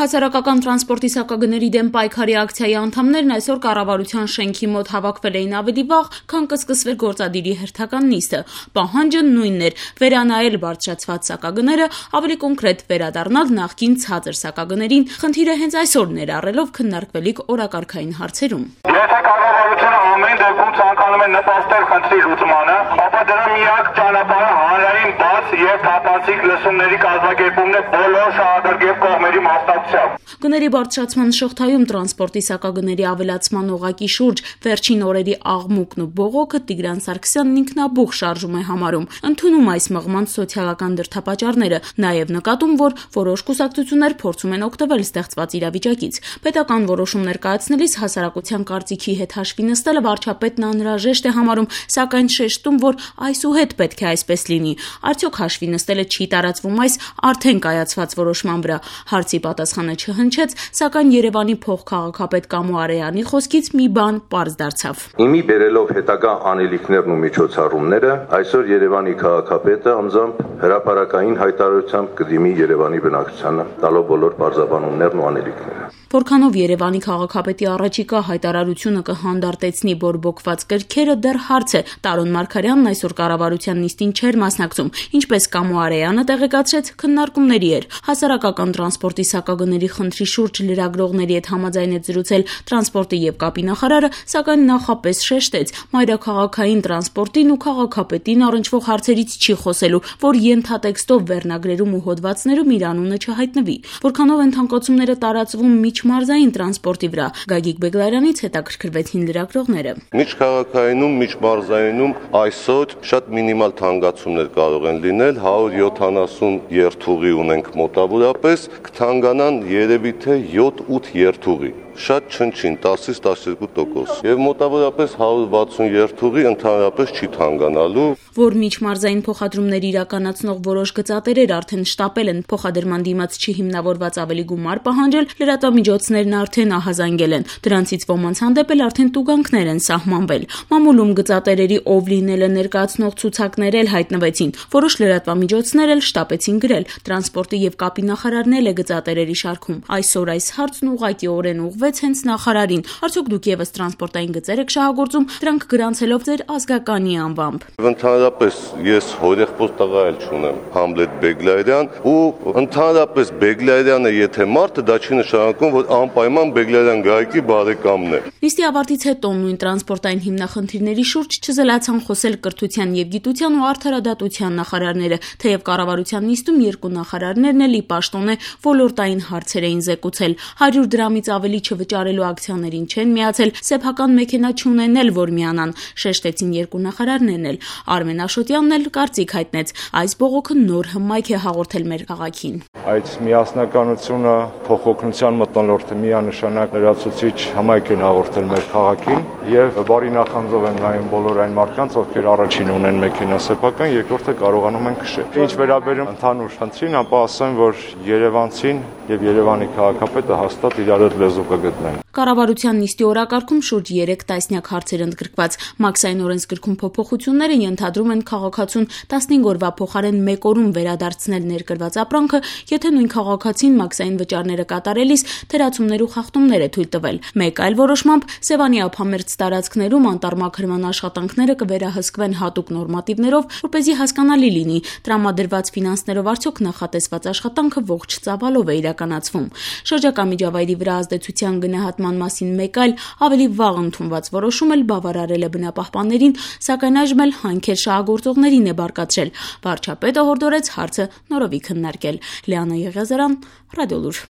Հասարակական տրանսպորտի սակագների դեմ պայքարի ակցիայի անդամներն այսօր կառավարության շենքի մոտ հավաքվել էին ավելի վաղ, քան կսկսվեր գործադիրի հերթական նիստը։ Պահանջը նույնն էր՝ վերանայել բարձրացված սակագները, ավելի կոնկրետ վերադառնալ նախկին ցածր սակագներին։ Խնդիրը հենց այսօր ներառելով քննարկվելիք օրակարգային հարցերում։ Եթե կառավարությունը ամեն դեպքում ցանկանում է նպաստել խնդրի լուծմանը, ապա դրա միակ ճանապարհը հանրային բաց եւ թափանցիկ լսումների կազմակերպումն է բոլոր շահագրգիռ կողմերի մասնակցությամբ։ Գների բարձրացման շղթայում տրանսպորտի սակագների ավելացման օղակի շուրջ վերջին օրերի աղմուկն ու բողոքը Տիգրան Սարգսյանն ինքնաբուխ շարժում է համարում, ընդունում այս մղման սոցիալական դրդապատճառները, նաև նկատում, որ որոշ կուսակցություններ փորձում են օգտվել ստեղծված իրավիճակից։ Պետական որոշումներ կայացնելիս հասարակության կարծիքի հետ հաշվի նստելը վարչապետն անհրաժեշտ է համարում, սակայն շեշտում, որ այսուհետ պետք է այսպես լինի։ Արդյոք հաշվի նստելը չի տարածվում այս արդեն կայացված որոշման վրա։ Հարցի պատասխանը չհնչեց, սակայն Երևանի փոխքաղաքապետ Կամո Արեյանի խոսքից մի բան պարզ դարձավ։ Իմի բերելով հետագա անելիքներն ու միջոցառումները, այսօր Երևանի քաղաքապետը անձամբ հրապարակային հայտարարությամբ կդիմի Երևանի բնակչությանը, տալով բոլոր պարզաբանումներն ու անելիքները։ Որքանով Երևանի քաղաքապետի առաջիկա հայտարարությունը կհանդարտեցնի բորբոքված կրքերը, դեռ հարց է։ Տարոն Մարգարյանն այսօր կառավարության նիստին չէր մասնակցում, ինչպես Կամո Արեյանը տեղեկացրեց, քննարկումների էր։ Հասարակական տրանսպորտի սակագների խնդրի շուրջ լրագրողների հետ համաձայնեց զրուցել տրանսպորտի եւ կապի նախարարը, սակայն նախապես շեշտեց՝ մայրաքաղաքային տրանսպորտին ու քաղաքապետին առնչվող հարցերից չի խոսելու, որ ենթատեքստով վերնագրերում ու հոդվածներում իր անունը չհայտնվի։ Որքանով են թանկացումները տարածվում միջմարզային տրանսպորտի վրա, Գագիկ Բեգլարյանից հետաքրքրվեցին լրագրողները։ Միջքաղաքայինում, միջմարզայինում այսօր շատ մինիմալ թանկացումներ կարող են լինել, 170 երթուղի ունենք մոտավորապես, կթանկանան երևի թե 7-8 երթուղի։ Շատ չնչին 10-ից 12%։ Եվ մոտավորապես 160 երթուղի ընդհանրապես չի թանկանալու։ Որ միջմարզային փոխադրումներ իրականացնող որոշ գծատերեր արդեն շտապել են փոխադրման դիմաց չհիմնավորված ավելի գումար պահանջել, լրատվամիջոցներն արդեն ահազանգել են։ Դրանցից ոմանց հանդեպ էլ արդեն տուգանքներ են սահմանվել։ Մամուլում գծատերերի ով լինելը ներկայացնող ցուցակներ էլ հայտնվեցին։ Որոշ լրատվամիջոցներ էլ շտապեցին գրել։ Տրանսպորտի եւ կապի նախարարն էլ է գծատերերի շարքում։ Այսօր այս հարցն ուղղակիորեն ուղղվեց հենց նախարարին։ Արդյոք դուք եւս տրանսպորտային գծեր եք շահագործում, դրանք գրանցելով ձեր ազգականի անվամբ։ Ընդհանրապես ես հորեղբոս տղա էլ չունեմ, Համլետ Բեգլարյան, ու ընդհանրապես Բեգլարյանը եթե մարդը, դա չի նշանակում, որ անպայման Բեգլարյան Գայիկի բարեկամն է։ Նիստի ավարտից հետո նույն տրանսպորտային հիմնախնդիրների շուրջ չզլացան խոսել կրթության եւ գիտության ու արդարադատության նախարարները, թեև կառավարության նիստում երկու նախարարներն էլ ի պաշտոնե ոլորտային հարցեր էին զեկուցել։ 100 դրամից ավելի չվճարելու ակցիաներին չեն միացել, սեփական մեքենա չունեն էլ որ միանան, շեշտեցին երկու նախարարներն էլ։ Արմեն Աշոտյանն էլ կարծիք հայտնեց, այս բողոքը նոր հմայք է հաղորդել մեր քաղաքին։ Այդ միասնականությունը, փոխօգնության մթնոլորտը միանշանակ լրացուցիչ հմայք են հաղորդել մեր քաղաքին եւ բարի նախանձով եմ նայում բոլոր այն մարդկանց, ովքեր առաջին ունեն մեքենա սեփական, երկրորդը կարողանում են քշել։ Ինչ վերաբերում ընդհանուր խնդրին, ապա ասեմ, որ Երևանցին եւ Երևանի քաղաքապետը հաստատ իրար հետ լեզու կգտնեն։ Կառավարության նիստի օրակարգում շուրջ 3 տասնյակ հարցեր ընդգրկված։ Մաքսային օրենսգրքում փոփոխությունները ենթադրում են քաղաքացուն 15 օրվա փոխարեն 1 օրում վերադարձնել ներկրված ապրանքը, եթե նույն քաղաքացին մաքսային վճարները կատարելիս թերացումներ ու խախտումներ է թույլ տվել։ Մեկ այլ որոշմամբ Սևանի ափամերձ տարածքներում անտառմաքրման աշխատանքները կվերահսկվեն հատուկ նորմատիվներով, որպեսզի հասկանալի լինի տրամադրված ֆինանսներով արդյոք նախատեսված աշխատանքը ողջ ծավալով է իրականացվում։ Շրջակա միջավայրի վրա ազդեցության գնահատման մասին մեկ այլ ավելի վաղ ընդունված որոշում էլ բավարարել է բնապահպաններին, սակայն այժմ էլ հանքեր շահագործողներին է բարկացրել։ Վարչապետը հորդորեց հարցը նորովի քննարկել։ Լիանա Եղիազարյան, Ռադիոլուր։